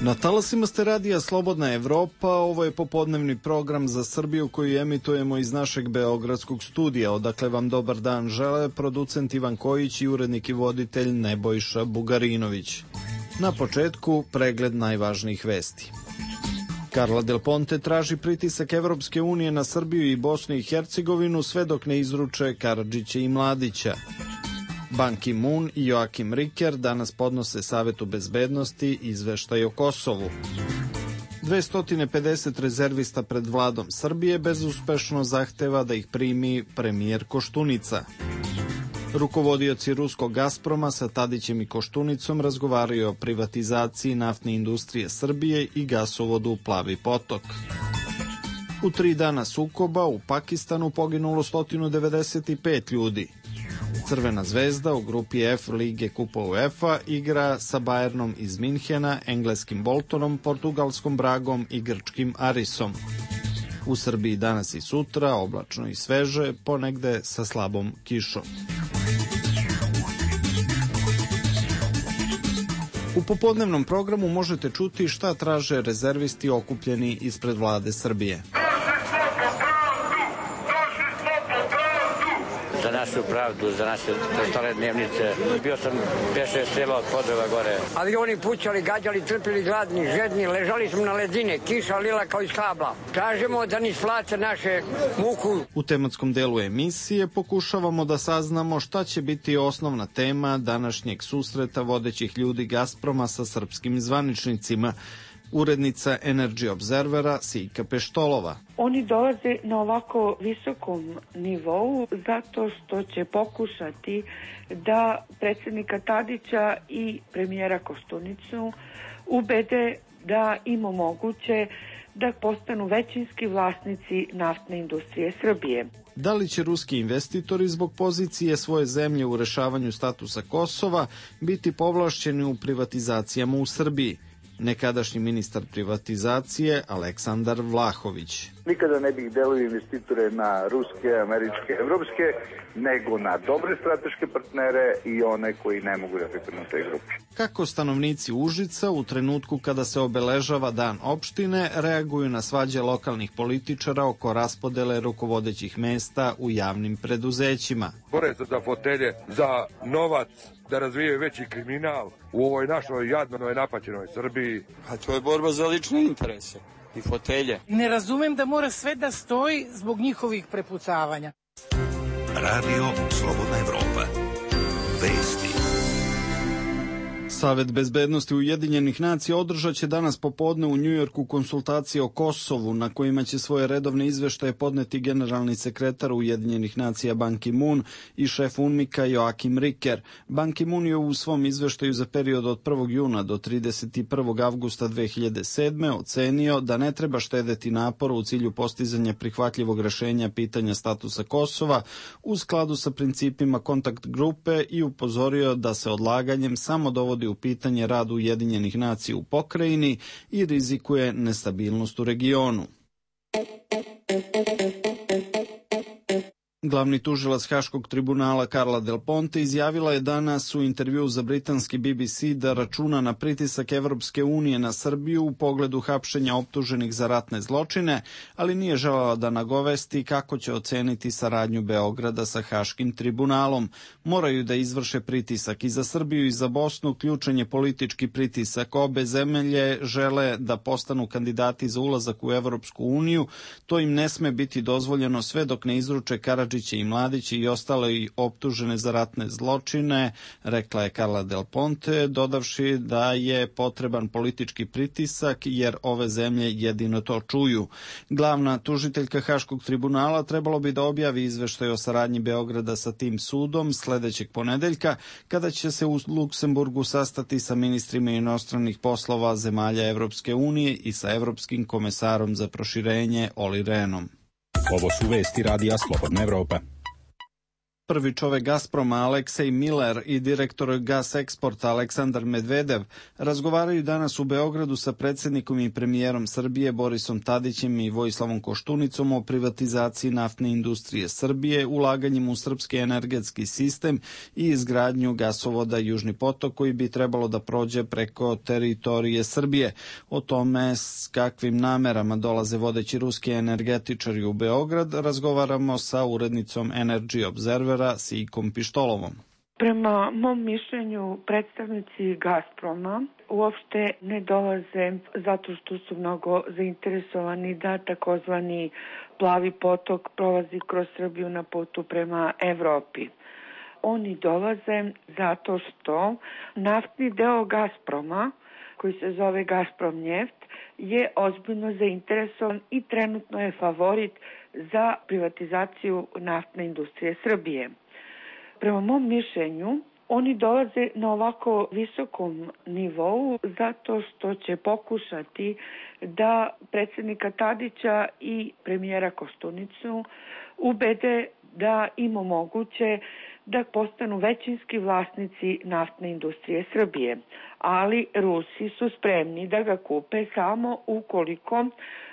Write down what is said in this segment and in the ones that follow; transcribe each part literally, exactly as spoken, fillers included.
Na talasima ste radija Slobodna Evropa, ovo je popodnevni program za Srbiju koji emitujemo iz našeg beogradskog studija. Odakle vam dobar dan žele producent Ivan Kojić i urednik i voditelj Nebojša Bugarinović. Na početku pregled najvažnijih vesti. Carla Del Ponte traži pritisak Evropske unije na Srbiju i Bosnu i Hercegovinu sve dok ne izruče Karadžića i Mladića. Ban Ki-moon i Joakim Riker danas podnose Savetu bezbednosti izveštaj o Kosovu. dvesta pedeset rezervista pred vladom Srbije bezuspešno zahteva da ih primi premijer Koštunica. Rukovodioci ruskog Gazproma sa Tadićem i Koštunicom razgovaraju o privatizaciji naftne industrije Srbije i gasovodu Plavi potok. U tri dana sukoba u Pakistanu poginulo sto devedeset pet ljudi. Crvena zvezda u grupi F Lige Kupa UEFA igra sa Bayernom iz Minhena, engleskim Boltonom, portugalskom Bragom i grčkim Arisom. U Srbiji danas i sutra oblačno i sveže, ponegde sa slabom kišom. U popodnevnom programu možete čuti šta traže rezervisti okupljeni ispred vlade Srbije. Za našu pravdu, za naše stare dnevnice. Bio sam pet šest sela od Podreva gore. Avioni pućali, gađali, trpili gladni, žedni, ležali smo na ledine, kiša lila kao iz kabla. Tražimo da niš plate naše muku. U tematskom delu emisije pokušavamo da saznamo šta će biti osnovna tema današnjeg susreta vodećih ljudi Gazproma sa srpskim zvaničnicima. Urednica Energy Observera Sijka Peštolova. Oni dolaze na ovako visokom nivou zato što će pokušati da predsjednika Tadića i premijera Koštunicu ubede da im omoguće da postanu većinski vlasnici naftne industrije Srbije. Da li će ruski investitori zbog pozicije svoje zemlje u rešavanju statusa Kosova biti povlašćeni u privatizacijama u Srbiji? Nekadašnji ministar privatizacije Aleksandar Vlahović. Nikada ne bih delio investitore na ruske, američke, evropske, nego na dobre strateške partnere i one koji ne mogu da pripadnu toj grupi. Kako stanovnici Užica u trenutku kada se obeležava dan opštine reaguju na svađe lokalnih političara oko raspodele rukovodećih mesta u javnim preduzećima? Bore se za fotelje, za novac, da razvijaju veći kriminal u ovoj našoj jadnoj napaćenoj Srbiji. A to je borba za lične interese i fotelje. Ne razumem da mora sve da stoji zbog njihovih prepucavanja. Radio Slobodna Evropa. Vesti. Savet bezbednosti Ujedinjenih nacija održat će danas popodne u Njujorku konsultacije o Kosovu, na kojima će svoje redovne izveštaje podneti generalni sekretar Ujedinjenih nacija Ban Ki-moon i šef UNMIK-a Joakim Riker. Ban Ki-moon je u svom izveštaju za period od prvog juna do trideset prvog avgusta dve hiljade sedme. ocenio da ne treba štedeti napor u cilju postizanja prihvatljivog rešenja pitanja statusa Kosova u skladu sa principima kontakt grupe i upozorio da se odlaganjem samo dovodi u pitanje rad Ujedinjenih nacija u pokrajini i rizikuje nestabilnost u regionu. Glavni tužilac Haškog tribunala Carla Del Ponte izjavila je danas u intervjuu za britanski B B C da računa na pritisak Evropske unije na Srbiju u pogledu hapšenja optuženih za ratne zločine, ali nije želela da nagovesti kako će oceniti saradnju Beograda sa Haškim tribunalom. Moraju da izvrše pritisak i za Srbiju i za Bosnu, ključan je politički pritisak. Obe zemlje žele da postanu kandidati za ulazak u Evropsku uniju, to im ne sme biti dozvoljeno sve dok ne izruče Karadžića i Mladića i ostale i optužene za ratne zločine, rekla je Carla Del Ponte, dodavši da je potreban politički pritisak jer ove zemlje jedino to čuju. Glavna tužiteljka Haškog tribunala trebalo bi da objavi izveštaj o saradnji Beograda sa tim sudom sledećeg ponedeljka, kada će se u Luksemburgu sastati sa ministrima inostranih poslova zemalja Evropske unije i sa Evropskim komesarom za proširenje Olli Rehnom. Ovo su vesti radija Slobodna Evropa. Prvi čovek Gazproma Aleksej Miller i direktor Gas Eksporta Aleksandar Medvedev razgovaraju danas u Beogradu sa predsjednikom i premijerom Srbije Borisom Tadićem i Vojislavom Koštunicom o privatizaciji naftne industrije Srbije, ulaganjem u srpski energetski sistem i izgradnju gasovoda Južni potok koji bi trebalo da prođe preko teritorije Srbije. O tome s kakvim namerama dolaze vodeći ruski energetičari u Beograd razgovaramo sa urednicom Energy Observer Sijkom Pištolovom. Prema mom mišljenju, predstavnici Gazproma uopšte ne dolaze zato što su mnogo zainteresovani da takozvani plavi potok prolazi kroz Srbiju na putu prema Evropi. Oni dolaze zato što naftni deo Gazproma, koji se zove Gazprom Njeft, je ozbiljno zainteresovan i trenutno je favorit za privatizaciju naftne industrije Srbije. Prema mom mišljenju, oni dolaze na ovako visokom nivou zato što će pokušati da predsjednika Tadića i premijera Koštunicu ubede da im omoguće da postanu većinski vlasnici naftne industrije Srbije. Ali Rusi su spremni da ga kupe samo ukoliko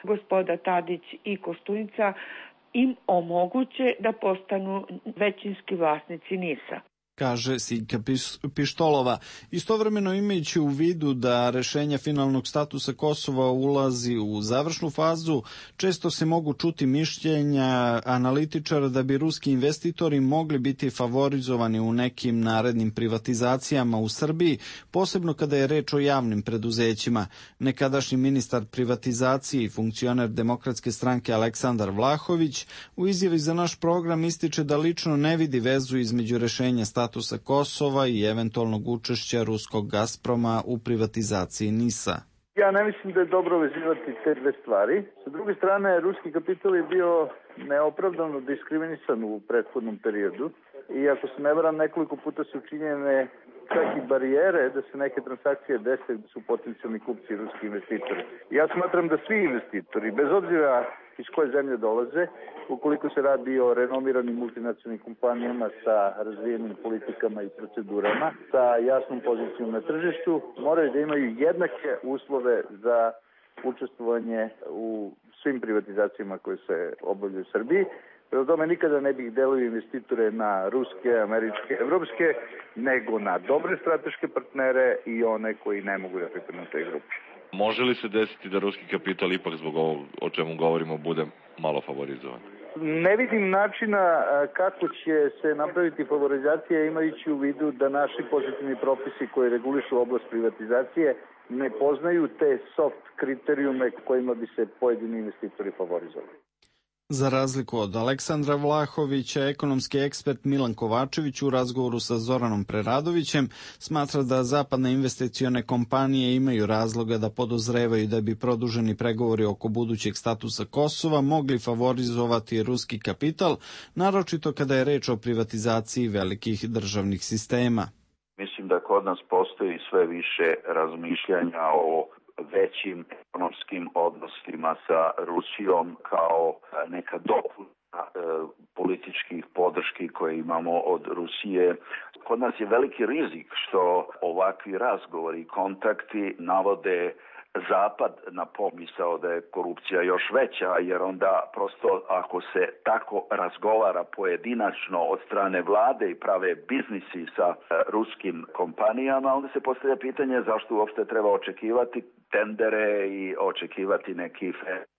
gospoda Tadić i Koštunica im omoguće da postanu većinski vlasnici NIS-a. Kaže Sijka Pištolova. Istovremeno imajući u vidu da rešenja finalnog statusa Kosova ulazi u završnu fazu, često se mogu čuti mišljenja analitičara da bi ruski investitori mogli biti favorizovani u nekim narednim privatizacijama u Srbiji, posebno kada je reč o javnim preduzećima. Nekadašnji ministar privatizacije i funkcioner Demokratske stranke Aleksandar Vlahović u izjavi za naš program ističe da lično ne vidi vezu između rešenja statusa statusa Kosova i eventualnog učešća ruskog Gazproma u privatizaciji NIS-a. Ja ne mislim da je dobro vezivati te dve stvari. Sa druge strane, ruski kapital je bio neopravdano diskriminisan u prethodnom periodu i ako se ne varam, nekoliko puta su učinjene čak i barijere da se neke transakcije dese da su potencijalni kupci ruski investitori. Ja smatram da svi investitori, bez obzira iz koje zemlje dolaze, ukoliko se radi o renomiranim multinacionalnim kompanijama sa razvijenim politikama i procedurama, sa jasnom pozicijom na tržištu, moraju da imaju jednake uslove za učestvovanje u svim privatizacijama koje se obavljaju u Srbiji. Prema tome nikada ne bih delio investitore na ruske, američke, evropske, nego na dobre strateške partnere i one koji ne mogu da pripadnu toj grupi. Može li se desiti da ruski kapital ipak zbog ovog o čemu govorimo bude malo favorizovan? Ne vidim načina kako će se napraviti favorizacija imajući u vidu da naši pozitivni propisi koji regulišu oblast privatizacije ne poznaju te soft kriterijume kojima bi se pojedini investitori favorizovali. Za razliku od Aleksandra Vlahovića, ekonomski ekspert Milan Kovačević u razgovoru sa Zoranom Preradovićem smatra da zapadne investicione kompanije imaju razloga da podozrevaju da bi produženi pregovori oko budućeg statusa Kosova mogli favorizovati ruski kapital, naročito kada je reč o privatizaciji velikih državnih sistema. Mislim da kod nas postoji sve više razmišljanja o većim ekonomskim odnosima sa Rusijom kao neka dopuna e, političkih podrški koje imamo od Rusije. Kod nas je veliki rizik što ovakvi razgovori i kontakti navode Zapad na pomisao da je korupcija još veća, jer onda prosto ako se tako razgovara pojedinačno od strane vlade i prave biznisi sa ruskim kompanijama, onda se postavlja pitanje zašto uopšte treba očekivati tendere i očekivati neki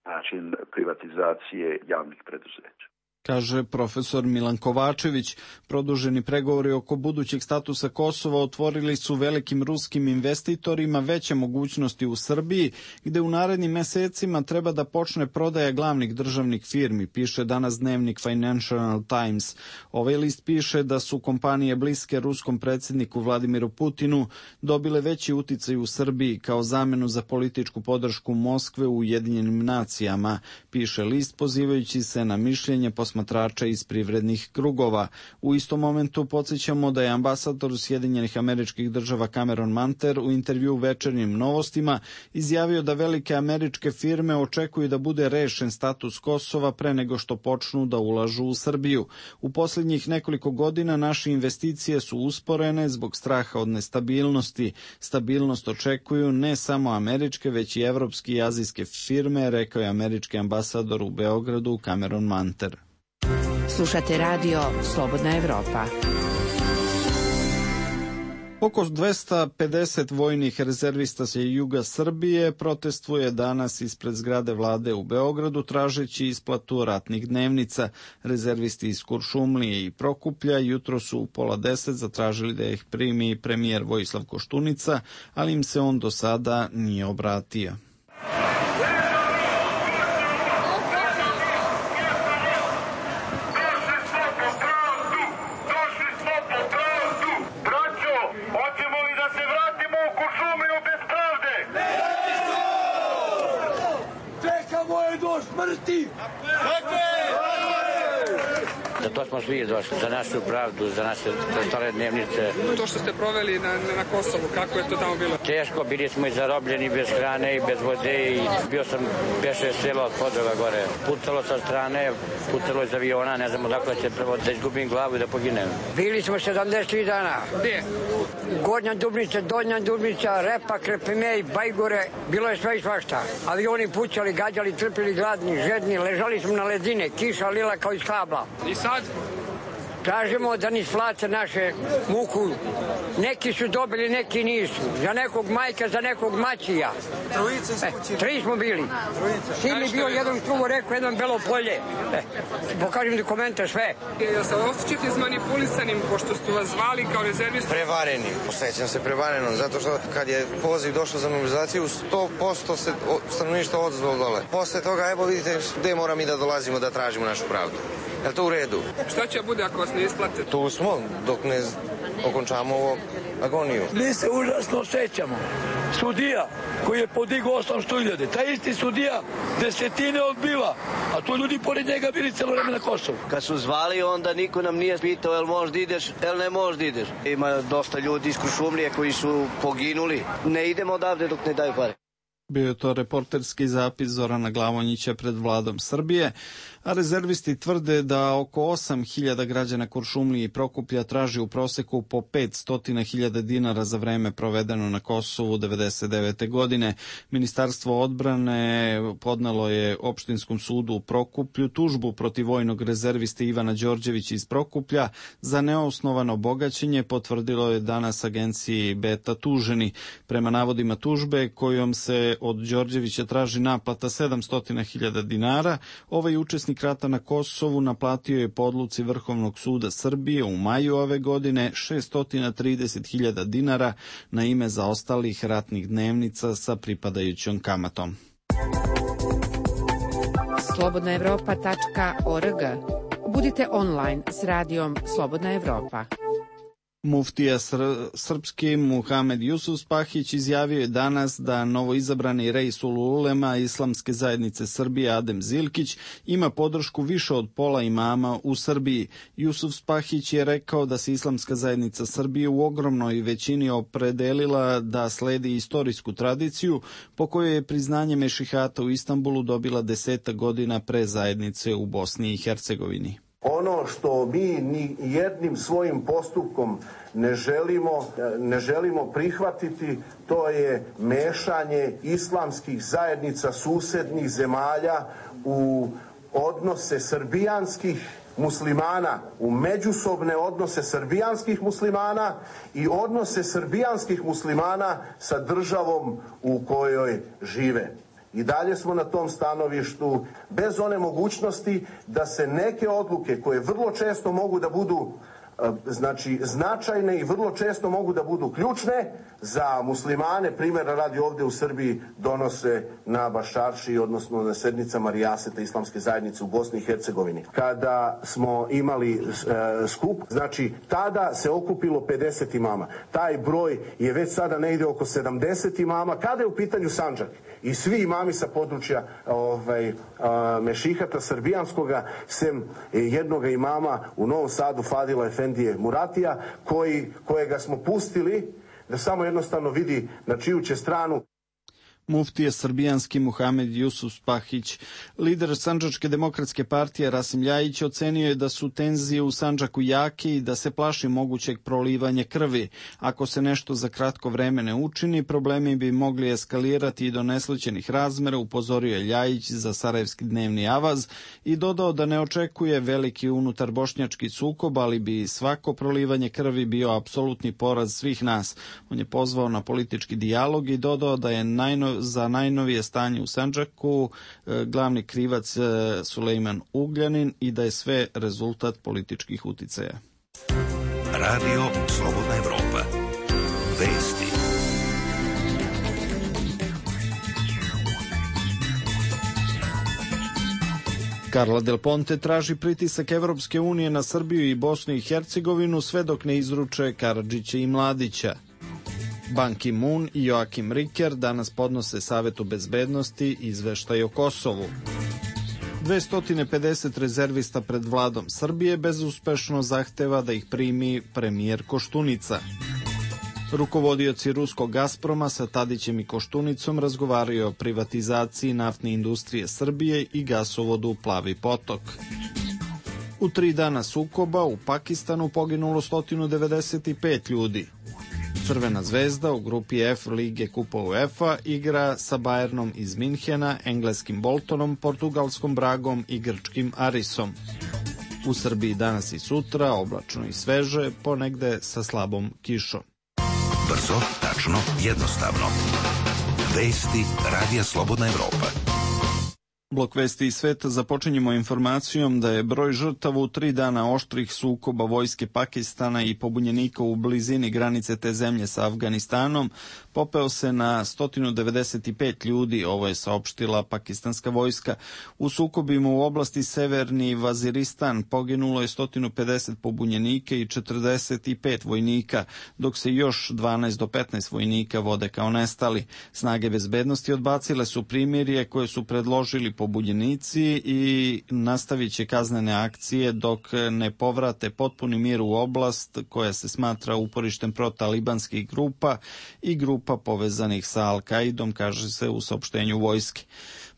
način privatizacije javnih preduzeća. Kaže profesor Milan Kovačević. Produženi pregovori oko budućeg statusa Kosova otvorili su velikim ruskim investitorima veće mogućnosti u Srbiji, gde u narednim mesecima treba da počne prodaja glavnih državnih firmi, piše danas dnevnik Financial Times. Ovaj list piše da su kompanije bliske ruskom predsjedniku Vladimiru Putinu dobile veći uticaj u Srbiji kao zamenu za političku podršku Moskve u Ujedinjenim nacijama, piše list pozivajući se na mišljenje posmatrača posmatrača iz privrednih krugova. U istom momentu podsjećamo da je ambasador Sjedinjenih Američkih Država Cameron Manter u intervju Večernjim novostima izjavio da velike američke firme očekuju da bude rešen status Kosova pre nego što počnu da ulažu u Srbiju. U posljednjih nekoliko godina naše investicije su usporene zbog straha od nestabilnosti. Stabilnost očekuju ne samo američke, već i evropske i azijske firme, rekao je američki ambasador u Beogradu Cameron Manter. Slušate radio Slobodna Evropa. Oko dvesta pedeset vojnih rezervista sa juga Srbije protestvuje danas ispred zgrade vlade u Beogradu tražeći isplatu ratnih dnevnica. Rezervisti iz Kuršumlije i Prokuplja jutro su u pola deset zatražili da ih primi premijer Vojislav Koštunica, ali im se on do sada nije obratio. Za to smo svi došli, za našu pravdu, za naše stare dnevnice. To što ste proveli na, na Kosovu, kako je to tamo bilo? Teško, bili smo i zarobljeni bez hrane i bez vode i bio sam pet šest sela od Podrova gore. Pucalo sa strane, pucalo iz aviona, ne znam odakle će prvo da izgubim glavu i da poginem. Bili smo sedamdeset tri dana. Gdje? Gornja Dubnica, Donja Dubnica, Repa, Krepimej, Bajgore, bilo je sve i svašta. Avioni pucali, gađali, trpili gladni, žedni, ležali smo na ledine, kiša lila kao iz kabla. I sad? Tražimo da ni splate naše muku. Neki su dobili, neki nisu. Za nekog majka, za nekog mačija. Trojice s kući. E, tri smo bili. Sin mi bio jedan struvo rekao, jedan belo polje. E, pokažem dokumente, sve. Jel se osjećate izmanipulisanim, pošto su vas zvali kao rezervisti? Prevareni. Osjećam se prevarenom, zato što kad je poziv došao za mobilizaciju, sto posto se stanovništvo odzvalo dole. Posle toga, evo vidite gde moram i da dolazimo da tražimo našu pravdu. Je li to u redu? Šta će bude ako vas ne isplate? Tu smo, dok ne okončamo ovo agoniju. Mi se užasno osjećamo. Sudija koji je podigao osamsto hiljada, taj isti sudija desetine odbiva, a tu ljudi pored njega bili celo vreme na Kosovu. Kad su zvali, onda niko nam nije pitao jel možda ideš, jel ne možda ideš. Ima dosta ljudi iz Kuršumlije koji su poginuli. Ne idemo odavde dok ne daju pare. Bio je to reporterski zapis Zorana Glavonjića pred vladom Srbije, a rezervisti tvrde da oko osam hiljada građana Kuršumlije i Prokuplja traži u proseku po petsto hiljada dinara za vreme provedeno na Kosovu devedeset devete. godine. Ministarstvo odbrane podnelo je opštinskom sudu u Prokuplju tužbu protiv vojnog rezerviste Ivana Đorđevića iz Prokuplja za neosnovano bogaćenje, potvrdilo je danas agenciji Beta tuženi. Prema navodima tužbe kojom se od Đorđevića traži naplata sedamsto hiljada dinara, ovaj učesnik rata na Kosovu naplatio je po odluci Vrhovnog suda Srbije u maju ove godine šeststo trideset hiljada dinara na ime zaostalih ratnih dnevnica sa pripadajućom kamatom. slobodna evropa tačka org. Budite online s radijom Slobodna Evropa. Muftija sr- srpski Muhamed Jusufspahić izjavio je danas da novoizabrani Reisul Ulema Islamske zajednice Srbije Adem Zilkić ima podršku više od pola imama u Srbiji. Jusufspahić je rekao da se Islamska zajednica Srbije u ogromnoj većini opredelila da sledi istorijsku tradiciju po kojoj je priznanje mešihata u Istanbulu dobila deseta godina pre zajednice u Bosni i Hercegovini. Ono što mi ni jednim svojim postupkom ne želimo, ne želimo prihvatiti, to je mešanje islamskih zajednica susednih zemalja u odnose srbijanskih muslimana, u međusobne odnose srbijanskih muslimana i odnose srbijanskih muslimana sa državom u kojoj žive. I dalje smo na tom stanovištu bez one mogućnosti da se neke odluke koje vrlo često mogu da budu znači značajne i vrlo često mogu da budu ključne za muslimane. Primjera radi ovdje u Srbiji donose na Baščarši, odnosno na sednicama Rijaseta islamske zajednice u Bosni i Hercegovini. Kada smo imali e, skup, znači tada se okupilo pedeset imama. Taj broj je već sada negdje oko sedamdeset imama. Kada je u pitanju Sandžak i svi imami sa područja ovaj, a, Mešihata srbijanskoga, sem jednoga imama u Novom Sadu, Fadila Efendije Muratija, koji, kojega smo pustili da samo jednostavno vidi na čiju će stranu. Muftija srbijanski Muhamed Jusuf Spahić. Lider Sandžačke demokratske partije Rasim Ljajić ocenio je da su tenzije u Sandžaku jake i da se plaši mogućeg prolivanja krvi. Ako se nešto za kratko vreme ne učini, problemi bi mogli eskalirati i do neslućenih razmera, upozorio je Ljajić za Sarajevski dnevni avaz i dodao da ne očekuje veliki unutar bošnjački sukob, ali bi svako prolivanje krvi bio apsolutni poraz svih nas. On je pozvao na politički dijalog i dodao da je najno za najnovije stanje u Sandžaku glavni krivac Sulejman Ugljanin i da je sve rezultat političkih uticaja. Radio Slobodna Evropa. Vesti. Carla Del Ponte traži pritisak Evropske unije na Srbiju i Bosnu i Hercegovinu sve dok ne izruče Karadžića i Mladića. Ban Ki-moon i Joakim Riker danas podnose Savetu bezbednosti izveštaj o Kosovu. dvesta pedeset rezervista pred vladom Srbije bezuspešno zahteva da ih primi premijer Koštunica. Rukovodioci ruskog Gazproma sa Tadićem i Koštunicom razgovaraju o privatizaciji naftne industrije Srbije i gasovodu Plavi potok. U tri dana sukoba u Pakistanu poginulo sto devedeset pet ljudi. Crvena zvezda u grupi F Lige Kupa UEFA igra sa Bayernom iz Minhena, engleskim Boltonom, portugalskom Bragom i grčkim Arisom. U Srbiji danas i sutra oblačno i sveže, ponegde sa slabom kišom. Brzo, tačno, jednostavno. Vesti Radija Slobodna Evropa. Blok vesti iz sveta započinjemo informacijom da je broj žrtava u tri dana oštrih sukoba vojske Pakistana i pobunjenika u blizini granice te zemlje sa Afganistanom popeo se na sto devedeset pet ljudi, ovo je saopštila pakistanska vojska. U sukobima u oblasti Severni Vaziristan poginulo je sto pedeset pobunjenika i četrdeset pet vojnika, dok se još dvanaest do petnaest vojnika vode kao nestali. Snage bezbednosti odbacile su primirje koje su predložili pobunjenici i nastavit će kaznene akcije dok ne povrate potpuni mir u oblast koja se smatra uporištem protalibanskih grupa i grupa povezanih sa Al-Kaidom, kaže se u saopštenju vojske.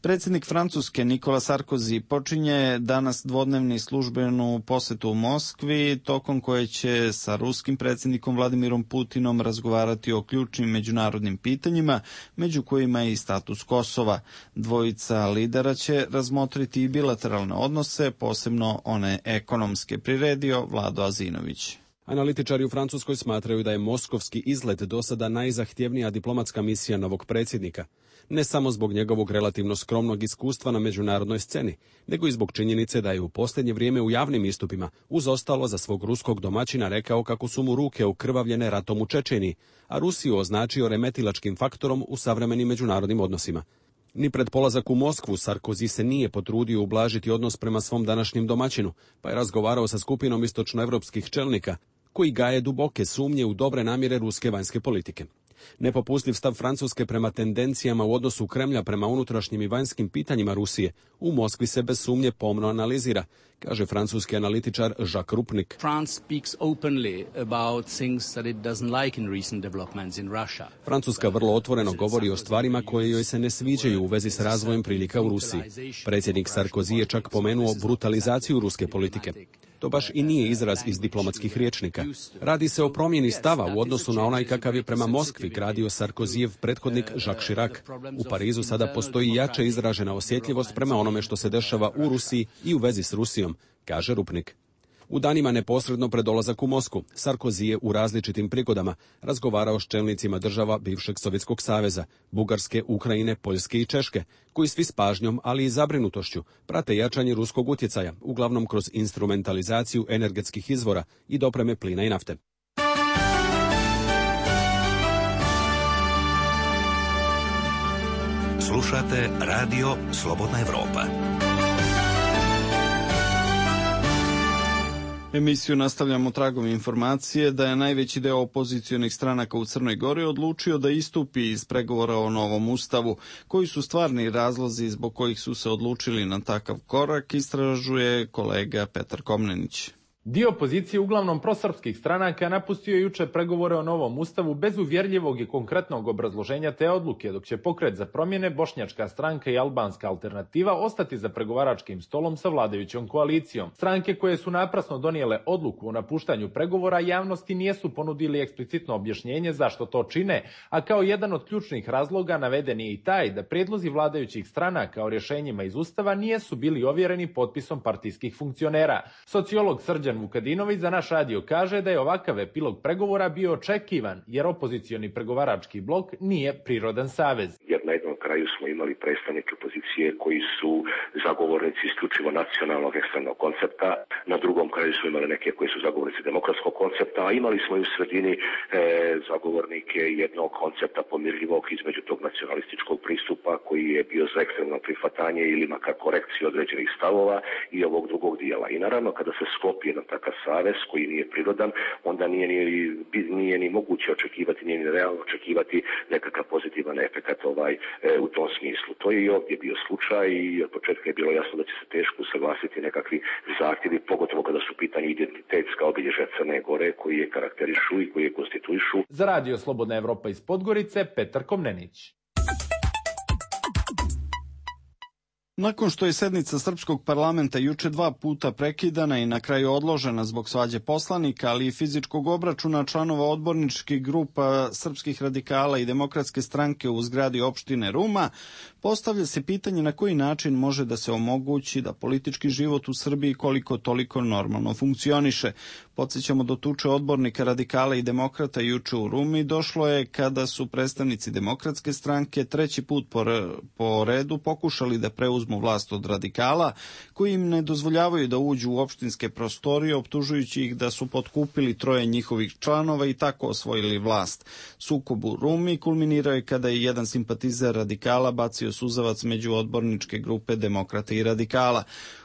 Predsjednik Francuske Nikola Sarkozy počinje danas dvodnevni službenu posetu u Moskvi, tokom koje će sa ruskim predsjednikom Vladimirom Putinom razgovarati o ključnim međunarodnim pitanjima, među kojima je i status Kosova. Dvojica lidera će razmotriti i bilateralne odnose, posebno one ekonomske, priredio Vlado Azinović. Analitičari u Francuskoj smatraju da je moskovski izlet do sada najzahtjevnija diplomatska misija novog predsjednika. Ne samo zbog njegovog relativno skromnog iskustva na međunarodnoj sceni, nego i zbog činjenice da je u posljednje vrijeme u javnim istupima uz ostalo za svog ruskog domaćina rekao kako su mu ruke ukrvavljene ratom u Čečeniji, a Rusiju označio remetilačkim faktorom u savremenim međunarodnim odnosima. Ni pred polazak u Moskvu Sarkozy se nije potrudio ublažiti odnos prema svom današnjem domaćinu, pa je razgovarao sa skupinom istočnoevropskih čelnika, koji gaje duboke sumnje u dobre namjere ruske vanjske politike. Nepopustljiv stav Francuske prema tendencijama u odnosu Kremlja prema unutrašnjim i vanjskim pitanjima Rusije u Moskvi se bez sumnje pomno analizira, kaže francuski analitičar Jacques Rupnik. Francuska vrlo otvoreno govori o stvarima koje joj se ne sviđaju u vezi s razvojem prilika u Rusiji. Predsjednik Sarkozy je čak pomenuo brutalizaciju ruske politike. To baš i nije izraz iz diplomatskih rječnika. Radi se o promjeni stava u odnosu na onaj kakav je prema Moskvi gradio Sarkozijev prethodnik Jacques Chirac. U Parizu sada postoji jače izražena osjetljivost prema onome što se dešava u Rusiji i u vezi s Rusijom, kaže Rupnik. U danima neposredno pred dolazak u Moskvu, Sarkozy je u različitim prigodama razgovarao s čelnicima država bivšeg Sovjetskog saveza, Bugarske, Ukrajine, Poljske i Češke, koji svi s pažnjom, ali i zabrinutošću, prate jačanje ruskog utjecaja, uglavnom kroz instrumentalizaciju energetskih izvora i dopreme plina i nafte. Slušate Radio Slobodna Evropa. Emisiju nastavljamo tragom informacije da je najveći deo opozicionih stranaka u Crnoj Gori odlučio da istupi iz pregovora o novom ustavu. Koji su stvarni razlozi zbog kojih su se odlučili na takav korak, istražuje kolega Petar Komnenić. Dio opozicije, uglavnom prosrpskih stranaka, napustio juče pregovore o novom ustavu bez uvjerljivog i konkretnog obrazloženja te odluke, dok će Pokret za promjene, Bošnjačka stranka i Albanska alternativa ostati za pregovaračkim stolom sa vladajućom koalicijom. Stranke koje su naprasno donijele odluku o napuštanju pregovora javnosti nijesu ponudili eksplicitno objašnjenje zašto to čine, a kao jedan od ključnih razloga naveden je i taj da prijedlozi vladajućih stranaka o rješenjima iz ustava nijesu bili ovjereni potpisom partijskih funkcionera. Sociolog Srđan Vukadinović za naš radio kaže da je ovakav epilog pregovora bio očekivan, jer opozicioni pregovarački blok nije prirodan savez. Jer na jednom kraju smo imali predstavnike opozicije koji su zagovornici isključivo nacionalnog ekstremnog koncepta, na drugom kraju smo imali neke koji su zagovornici demokratskog koncepta, a imali smo i u sredini e, zagovornike jednog koncepta pomirljivog između tog nacionalističkog pristupa koji je bio za ekstremno prihvatanje ili makar korekciju određenih stavova i ovog drugog dijela. I naravno kada se sklopi jedan takav savez koji nije prirodan, onda nije ni, nije ni moguće očekivati, nije ni realno očekivati nekakav pozitivan efekt ovaj, e, u tom smislu. To je i ovdje bio slučaj i od početka je bilo jasno da će se teško usaglasiti nekakvi zahtjevi, pogotovo kada su pitanje identitetska obilježja Crne Gore koji je karakterišu i koji je konstituišu. Za Radio Slobodna Evropa iz Podgorice, Petar Komnenić. Nakon što je sednica Srpskog parlamenta juče dva puta prekidana i na kraju odložena zbog svađe poslanika, ali i fizičkog obračuna članova odborničkih grupa Srpskih radikala i Demokratske stranke u zgradi opštine Ruma, postavlja se pitanje na koji način može da se omogući da politički život u Srbiji koliko toliko normalno funkcioniše. Podsjećamo do tuče odbornika radikala i demokrata juče u Rumi došlo je kada su predstavnici Demokratske stranke treći put po, po redu pokušali da preuzmu vlast od radikala, koji im ne dozvoljavaju da uđu u opštinske prostorije, optužujući ih da su potkupili troje njihovih članova i tako osvojili vlast. Sukob u Rumi kulminirao je kada je jedan simpatizer radikala bacio suzavac među odborničke grupe Demokrata i radikala.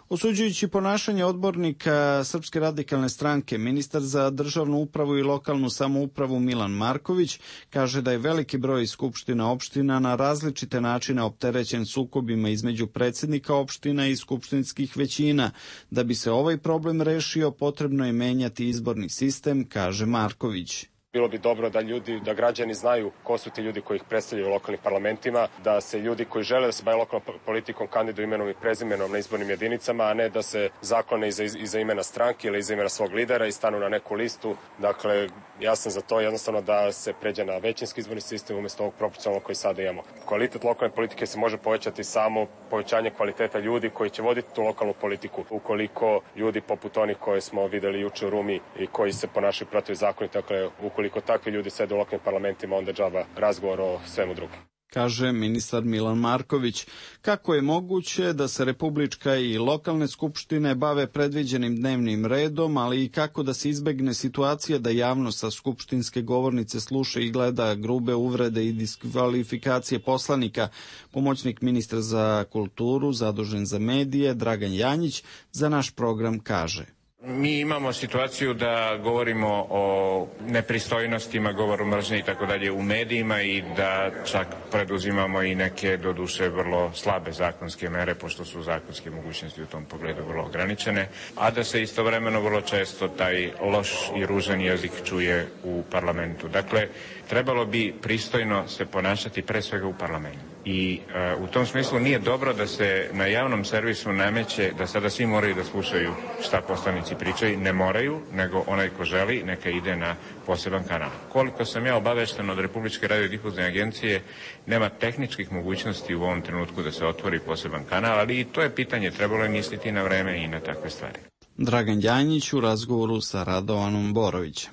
Osuđujući ponašanje odbornika Srpske radikalne stranke, ministar za državnu upravu i lokalnu samoupravu Milan Marković kaže da je veliki broj skupština opština na različite načine opterećen sukobima između predsjednika opština i skupštinskih većina. Da bi se ovaj problem rešio, potrebno je menjati izborni sistem, kaže Marković. Bilo bi dobro da ljudi, da građani znaju ko su ti ljudi koji ih predstavljaju u lokalnim parlamentima, da se ljudi koji žele da se bave lokalnom politikom kandiduju imenom i prezimenom na izbornim jedinicama, a ne da se zaklone iza, iza imena stranke ili iza imena svog lidera i stanu na neku listu. Dakle, ja sam za to jednostavno da se pređe na većinski izborni sistem umjesto ovog proporcionalnog koji sada imamo. Kvalitet lokalne politike se može povećati samo povećanje kvaliteta ljudi koji će voditi tu lokalnu politiku. Ukoliko ljudi poput onih koje smo videli juče u Rumi i koji se ponašaju protivzakonito, dakle, ukoliko takvi ljudi sede u lokalnim parlamentima, onda džaba razgovor o svemu drugom. Kaže ministar Milan Marković. Kako je moguće da se republička i lokalne skupštine bave predviđenim dnevnim redom, ali i kako da se izbegne situacija da javnost sa skupštinske govornice sluša i gleda grube uvrede i diskvalifikacije poslanika? Pomoćnik ministra za kulturu, zadužen za medije, Dragan Janjić, za naš program kaže. Mi imamo situaciju da govorimo o nepristojnostima, govoru mržnje i tako dalje u medijima i da čak preduzimamo i neke doduše vrlo slabe zakonske mere, pošto su zakonske mogućnosti u tom pogledu vrlo ograničene, a da se istovremeno vrlo često taj loš i ružan jezik čuje u parlamentu. Dakle, trebalo bi pristojno se ponašati pre svega u parlamentu. I uh, u tom smislu nije dobro da se na javnom servisu nameće da sada svi moraju da slušaju šta poslanici pričaju. Ne moraju, nego onaj ko želi neka ide na poseban kanal. Koliko sam ja obavešten od Republičke radiodifuzne agencije, nema tehničkih mogućnosti u ovom trenutku da se otvori poseban kanal, ali i to je pitanje, trebalo je misliti na vreme i na takve stvari. Dragan Janjić u razgovoru sa Radovanom Borovićem.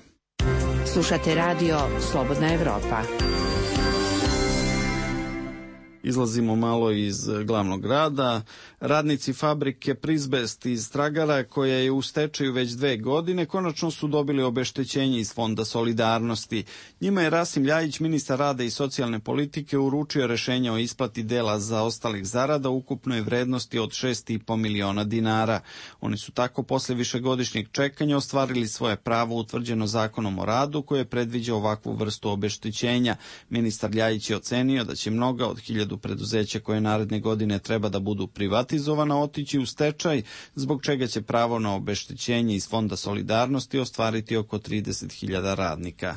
Slušate radio Slobodna Evropa. Izlazimo malo iz glavnog grada. Radnici fabrike Prizbest iz Stragara, koja je u stečaju već dve godine, konačno su dobili obeštećenje iz Fonda solidarnosti. Njima je Rasim Ljajić, ministar rada i socijalne politike, uručio rešenje o isplati dela zaostalih zarada u ukupnoj vrednosti od šest i po miliona dinara. Oni su tako posle višegodišnjeg čekanja ostvarili svoje pravo utvrđeno Zakonom o radu, koje predviđa ovakvu vrstu obeštećenja. Ministar Ljajić je ocenio da će mnoga od hiljadu preduzeća koje naredne godine treba da budu privatizovana otići u stečaj, zbog čega će pravo na obeštećenje iz Fonda solidarnosti ostvariti oko trideset hiljada radnika.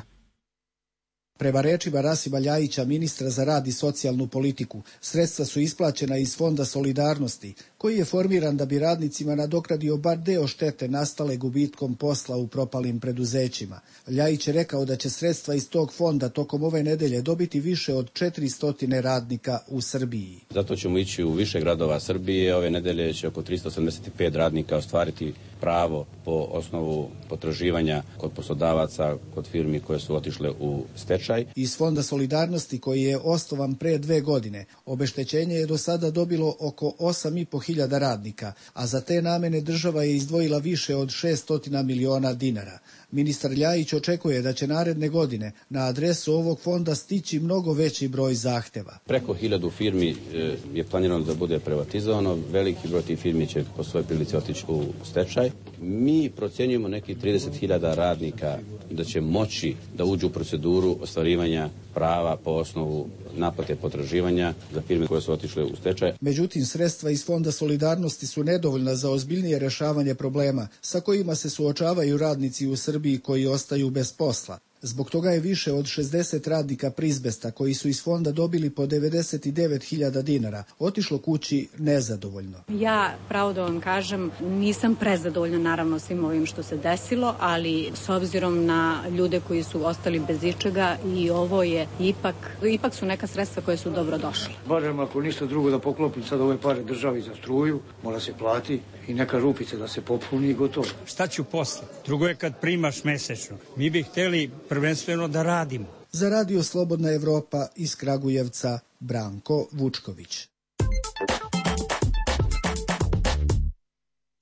Prema rečima Rasima Ljajića, ministra za rad i socijalnu politiku, sredstva su isplaćena iz Fonda solidarnosti, koji je formiran da bi radnicima nadoknadio bar deo štete nastale gubitkom posla u propalim preduzećima. Ljajić je rekao da će sredstva iz tog fonda tokom ove nedelje dobiti više od četiristo radnika u Srbiji. Zato ćemo ići u više gradova Srbije. Ove nedelje će oko tristo sedamdeset pet radnika ostvariti pravo po osnovu potraživanja kod poslodavaca, kod firmi koje su otišle u stečaj. Iz Fonda solidarnosti, koji je osnovan pre dve godine, obeštećenje je do sada dobilo oko osam i po hiljada radnika, a za te namene država je izdvojila više od šest miliona dinara. Ministar Ljajić očekuje da će naredne godine na adresu ovog fonda stići mnogo veći broj zahteva. Preko hiljadu firmi je planirano da bude privatizovano, veliki broj tih firmi će po svojoj prilici otići u stečaj. Mi procjenjujemo neki trideset hiljada radnika da će moći da uđu u proceduru ostvarivanja prava po osnovu naplate potraživanja za firme koje su otišle u stečaj. Međutim, sredstva iz Fonda solidarnosti su nedovoljna za ozbiljnije rešavanje problema sa kojima se suočavaju radnici u Srbiji koji ostaju bez posla. Zbog toga je više od šezdeset radnika Prizbesta, koji su iz fonda dobili po devedeset devet hiljada dinara, otišlo kući nezadovoljno. Ja, pravo da vam kažem, nisam prezadovoljna naravno svim ovim što se desilo, ali s obzirom na ljude koji su ostali bez ičega, i ovo je ipak, ipak su neka sredstva koje su dobro došle. Barem ako ništa drugo da poklopim sad ove pare državi za struju, mora se plati i neka rupica da se popuni i gotovo. Šta ću posle? Drugo je kad primaš mesečno. Mi bi hteli prvenstveno da radimo. Za Radio Slobodna Evropa iz Kragujevca, Branko Vučković.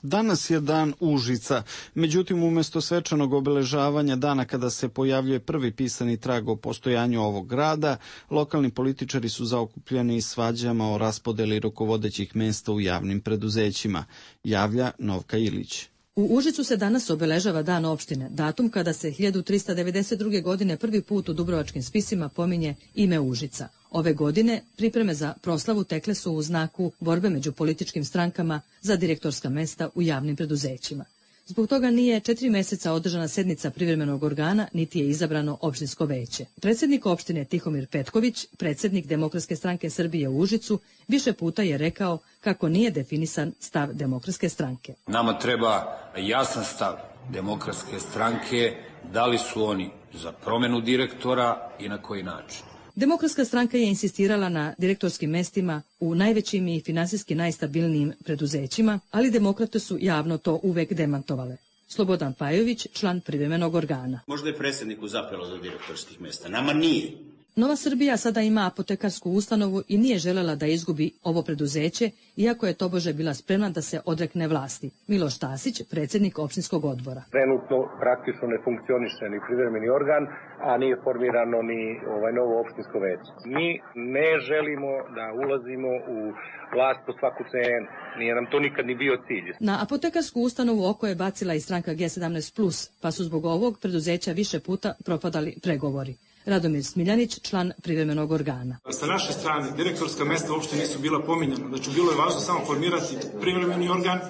Danas je dan Užica, međutim umjesto svečanog obeležavanja dana kada se pojavljuje prvi pisani trag o postojanju ovog grada, lokalni političari su zaokupljeni svađama o raspodeli rukovodećih mesta u javnim preduzećima, javlja Novka Ilić. U Užicu se danas obeležava dan opštine, datum kada se hiljadu trista devedeset druge. godine prvi put u dubrovačkim spisima pominje ime Užica. Ove godine pripreme za proslavu tekle su u znaku borbe među političkim strankama za direktorska mesta u javnim preduzećima. Zbog toga nije četiri meseca održana sednica privremenog organa, niti je izabrano opštinsko veće. Predsjednik opštine Tihomir Petković, predsjednik Demokratske stranke Srbije u Užicu, više puta je rekao kako nije definisan stav Demokratske stranke. Nama treba jasan stav Demokratske stranke, da li su oni za promjenu direktora i na koji način. Demokratska stranka je insistirala na direktorskim mestima u najvećim i finansijski najstabilnijim preduzećima, ali demokrate su javno to uvek demantovale. Slobodan Pajović, član privremenog organa. Možda je predsjedniku zapelo do direktorskih mesta, nama nije. Nova Srbija sada ima apotekarsku ustanovu i nije želela da izgubi ovo preduzeće, iako je tobože bila spremna da se odrekne vlasti. Miloš Tasić, predsjednik opštinskog odbora. Trenutno praktično ne funkcioniše ni privremeni organ, a nije formirano ni ovaj novo opštinsko veće. Mi ne želimo da ulazimo u vlast po svaku cenu. Nije nam to nikad ni bio cilj. Na apotekarsku ustanovu oko je bacila i stranka G sedamnaest plus, pa su zbog ovog preduzeća više puta propadali pregovori. Radomir Smiljanić, član privremenog organa. Sa naše strane, direktorska mesta uopšte nisu bila pominjena. Znači, bilo je važno samo formirati privremeni organ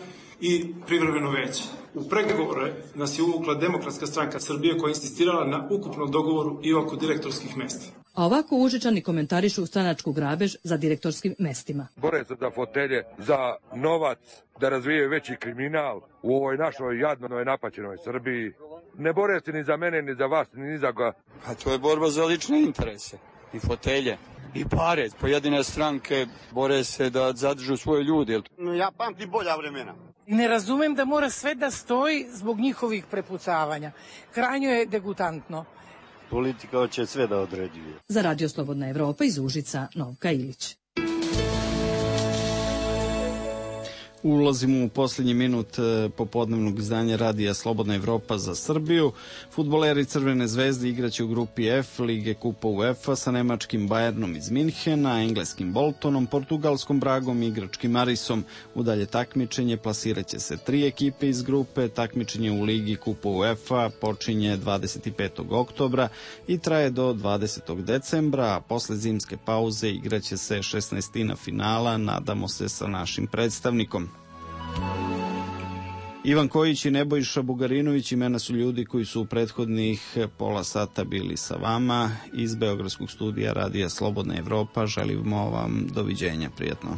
i privremeno veće. U pregovore nas je uvukla Demokratska stranka Srbije koja je insistirala na ukupnom dogovoru i oko direktorskih mesta. A ovako Užičani komentarišu stranačku grabež za direktorskim mestima. Bore se za fotelje, za novac, da razvijaju veći kriminal u ovoj našoj jadnoj napaćenoj Srbiji. Ne bore se ni za mene, ni za vas, ni za ga. A to je borba za lične interese i fotelje i pare. Pojedine stranke bore se da zadržu svoje ljude. Ja pamtim bolja vremena. Ne razumem da mora sve da stoji zbog njihovih prepucavanja. Krajnje je degutantno. Politika hoće sve da određuje. Za Radio Slobodna Evropa iz Užica, Novka Ilić. Ulazimo u posljednji minut popodnevnog izdanja Radija Slobodna Evropa za Srbiju. Fudbaleri Crvene zvezde igraće u grupi F Lige Kupa UEFA sa nemačkim Bayernom iz Minhena, engleskim Boltonom, portugalskom Bragom i igračkim Arisom. U dalje takmičenje plasiraće se tri ekipe iz grupe. Takmičenje u Ligi Kupa UEFA počinje dvadeset petog oktobra i traje do dvadesetog decembra, a posle zimske pauze igraće se šesnaestina finala, nadamo se sa našim predstavnikom. Ivan Kojić i Nebojša Bugarinović imena su ljudi koji su u prethodnih pola sata bili sa vama. Iz Beogradskog studija Radija Slobodna Evropa želimo vam doviđenja, prijatno.